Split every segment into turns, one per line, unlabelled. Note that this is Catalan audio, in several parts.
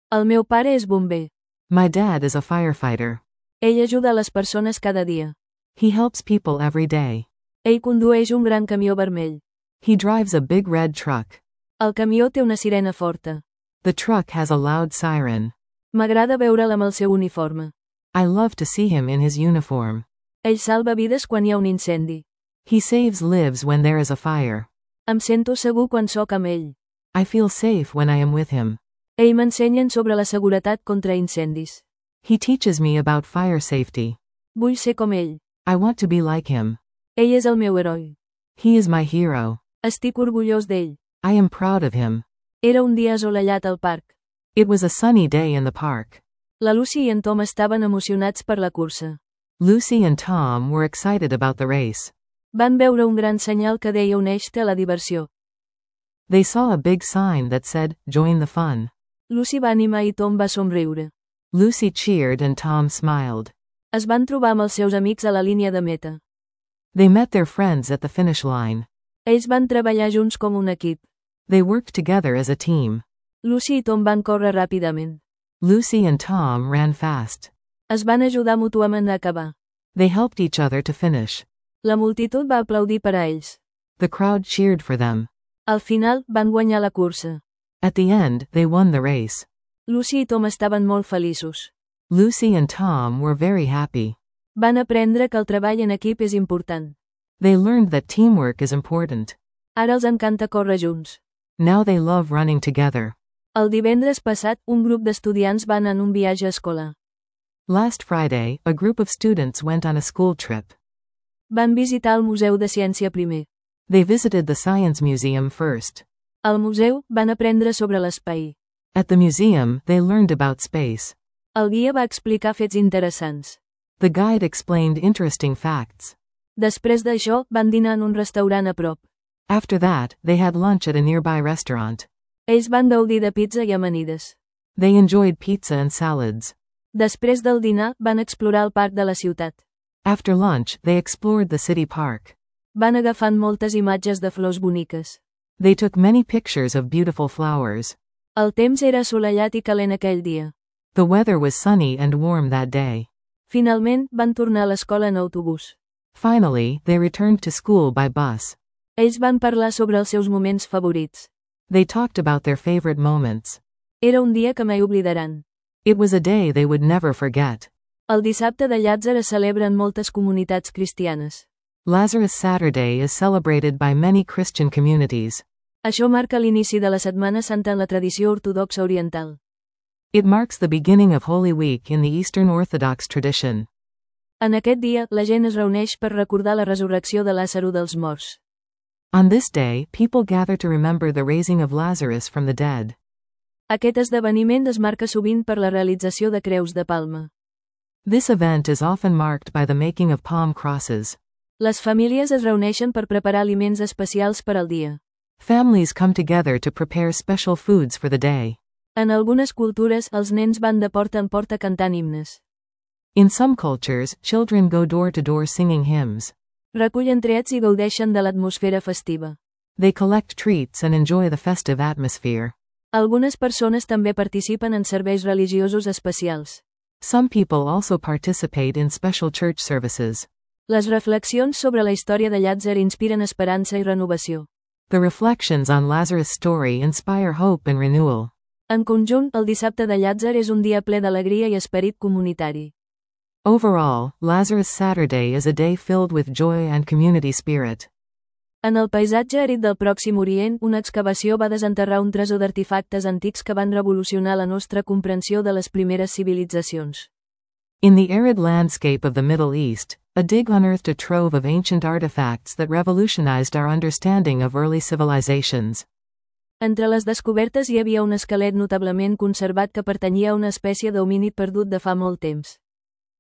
El meu pare és bomber.
My dad is a firefighter.
Ell ajuda a les persones cada dia.
He helps people every day.
Ell condueix un gran camió vermell.
He drives a big red truck.
El camió té una sirena forta.
The truck has a loud siren.
M'agrada veure'l amb el seu uniforme.
I love to see him in his uniform.
Ell salva vides quan hi ha un incendi.
He saves lives when there is a fire.
Em sento segur quan sóc amb ell.
I feel safe when I am with him.
Ell m'ensenya sobre la seguretat contra incendis.
He teaches me about fire safety.
Vull ser com ell.
I want to be like him.
Ell és el meu heroi.
He is my hero.
Estic orgullós d'ell.
I am proud of him.
Era un dia assolellat al parc.
It was a sunny day in the park.
La Lucy i en Tom estaven emocionats per la cursa.
Lucy and Tom were excited about the race.
Van veure un gran senyal que deia uneix-te a la diversió.
They saw a big sign that said, "Join the fun."
Lucy va animar i Tom va somriure.
Lucy cheered and Tom smiled.
Es van trobar amb els seus amics a la línia de meta.
They met their friends at the finish line.
Ells van treballar junts com un equip.
They worked together as a team.
Lucy i Tom van córrer ràpidament.
Lucy and Tom ran fast.
Es van ajudar mútuament a acabar.
They helped each other to finish.
La multitud va aplaudir per a ells.
The crowd cheered for them.
Al final, van guanyar la cursa.
At the end, they won the race.
Lucy i Tom estaven molt feliços.
Lucy and Tom were very happy.
Van aprendre que el treball en equip és important.
They learned that teamwork is important.
Ara els encanta córrer junts.
Now they love running together.
El divendres passat, un grup d'estudiants van en un viatge escolar.
Last Friday, a group of students went on a school trip.
Van visitar el Museu de Ciència primer.
They visited the Science Museum first.
Al museu, van aprendre sobre l'espai.
At the museum, they learned about space.
El guia va explicar fets interessants.
The guide explained interesting facts.
Després d'això, van dinar en un restaurant a prop.
After that, they had lunch at a nearby restaurant.
Ells van gaudir de pizza i amanides.
They enjoyed pizza and salads.
Després del dinar, van explorar el parc de la ciutat.
After lunch, they explored the city park.
Van agafant moltes imatges de flors boniques.
They took many pictures of beautiful flowers.
El temps era assolellat i calent aquell dia.
The weather was sunny and warm that day.
Finalment, van tornar a l'escola en autobús.
Finally, they returned to school by bus.
Ells van parlar sobre els seus moments favorits.
They talked about their favorite moments.
Era un dia que mai oblidaran.
It was a day they would never forget.
El dissabte de Llàtzer es celebra en moltes comunitats cristianes.
Lazarus Saturday is celebrated by many Christian communities.
Això marca l'inici de la Setmana Santa en la tradició ortodoxa oriental.
It marks the beginning of Holy Week in the Eastern Orthodox tradition.
En aquest dia, la gent es reuneix per recordar la resurrecció de Làzaro dels morts.
On this day, people gather to remember the raising of Lazarus from the dead.
Aquest esdeveniment es marca sovint per la realització de creus de palma.
This event is often marked by the making of palm crosses.
Les famílies es reuneixen per preparar aliments especials per al dia.
Families come together to prepare special foods for the day.
En algunes cultures, els nens van de porta en porta cantant himnes.
In some cultures, children go door to door singing hymns.
Recullen trets i gaudeixen de l'atmosfera festiva.
They collect treats and enjoy the festive atmosphere.
Algunes persones també participen en serveis religiosos especials.
Some people also participate in special church services.
Les reflexions sobre la història de Llàtzer inspiren esperança i renovació.
The reflections on Lazarus' story inspire hope and renewal.
En conjunt, el dissabte de Llàtzer és un dia ple d'alegria i esperit comunitari.
Overall, Lazarus Saturday is a day filled with joy and community spirit.
En el paisatge àrid del Pròxim Orient, una excavació va desenterrar un tresor d'artefactes antics que van revolucionar la nostra comprensió de les primeres civilitzacions.
In the arid landscape of the Middle East, a dig unearthed a trove of ancient artifacts that revolutionized our understanding of early civilizations.
Entre les descobertes hi havia un esquelet notablement conservat que pertanyia a una espècie d'homínid perdut de fa molt temps.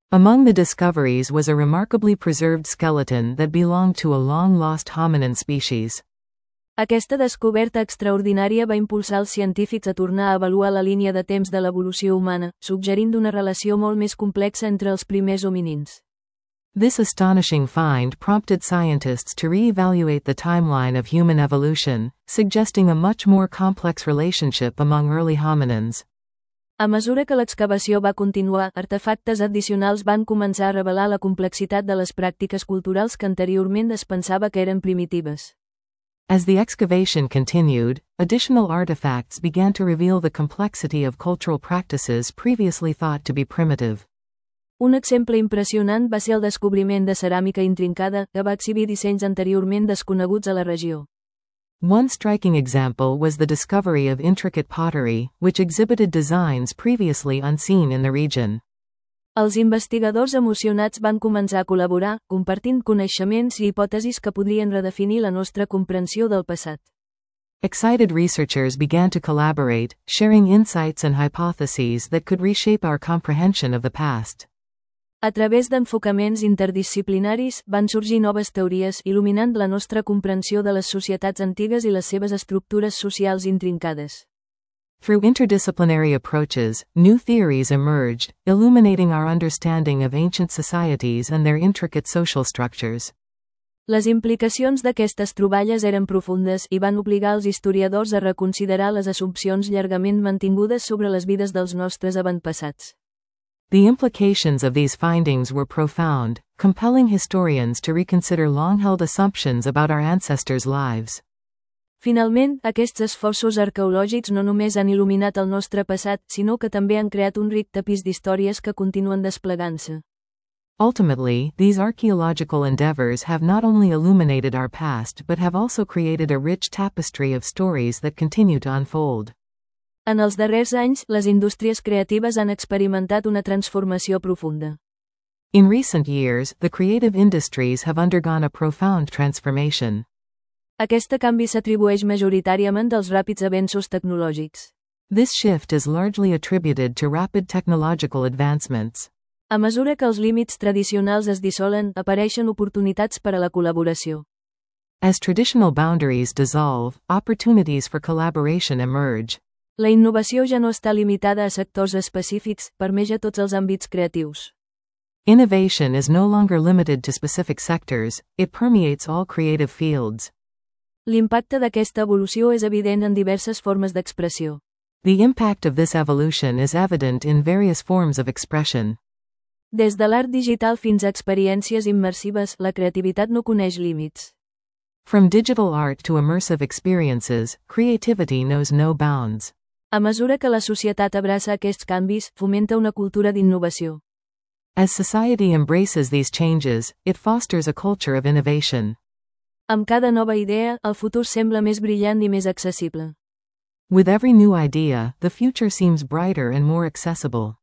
Among the discoveries was a remarkably preserved skeleton that belonged to a long-lost hominin species.
Aquesta descoberta extraordinària va impulsar els científics a tornar a avaluar la línia de temps de l'evolució humana, suggerint una relació molt més complexa entre els primers hominins.
This astonishing find prompted scientists to re-evaluate the timeline of human evolution, suggesting a much more complex relationship among early hominins.
A mesura que l'excavació va continuar, artefactes addicionals van començar a revelar la complexitat de les pràctiques culturals que anteriorment es pensava que eren primitives.
As the excavation continued, additional artifacts began to reveal the complexity of cultural practices previously thought to be primitive.
Un exemple impressionant va ser el descobriment de ceràmica intrincada, que va exhibir dissenys anteriorment desconeguts a la regió.
One striking example was the discovery of intricate pottery, which exhibited designs previously unseen in the region.
Els investigadors emocionats van començar a col·laborar, compartint coneixements i hipòtesis que podrien redefinir la nostra comprensió del passat.
Excited researchers began to collaborate, sharing insights and hypotheses that could reshape our comprehension of the past.
A través d'enfocaments interdisciplinaris, van sorgir noves teories, il·luminant la nostra comprensió de les societats antigues i les seves estructures socials intrincades.
Through interdisciplinary approaches, new theories emerged, illuminating our understanding of ancient societies and their intricate social structures.
Les implicacions d'aquestes troballes eren profundes i van obligar els historiadors a reconsiderar les assumpcions llargament mantingudes sobre les vides dels nostres avantpassats.
The implications of these findings were profound, compelling historians to reconsider long-held assumptions about our ancestors' lives.
Finalment, aquests esforços arqueològics no només han il·luminat el nostre passat, sinó que també han creat un ric tapís d'històries que continuen desplegant-se.
Ultimately, these archaeological endeavors have not only illuminated our past but have also created a rich tapestry of stories that continue to unfold.
En els darrers anys, les indústries creatives han experimentat una transformació profunda.
In recent years, the creative industries have undergone a profound transformation.
Aquest canvi s'atribueix majoritàriament als ràpids avenços tecnològics.
This shift is largely attributed to rapid technological advancements.
A mesura que els límits tradicionals es dissolen, apareixen oportunitats per a la col·laboració.
As traditional boundaries dissolve, opportunities for collaboration emerge.
La innovació ja no està limitada a sectors específics, permeja tots els àmbits creatius.
Innovation is no longer limited to specific sectors, it permeates all creative fields.
L'impacte d'aquesta evolució és evident en diverses formes d'expressió.
The impact of this evolution is evident in various forms of expression.
Des de l'art digital fins a experiències immersives, la creativitat no coneix límits.
From digital art to immersive experiences, creativity knows no bounds.
A mesura que la societat abraça aquests canvis, fomenta una cultura d'innovació.
As society embraces these changes, it fosters a culture of innovation.
Amb cada nova idea, el futur sembla més brillant i més accessible.
With every new idea, the future seems brighter and more accessible.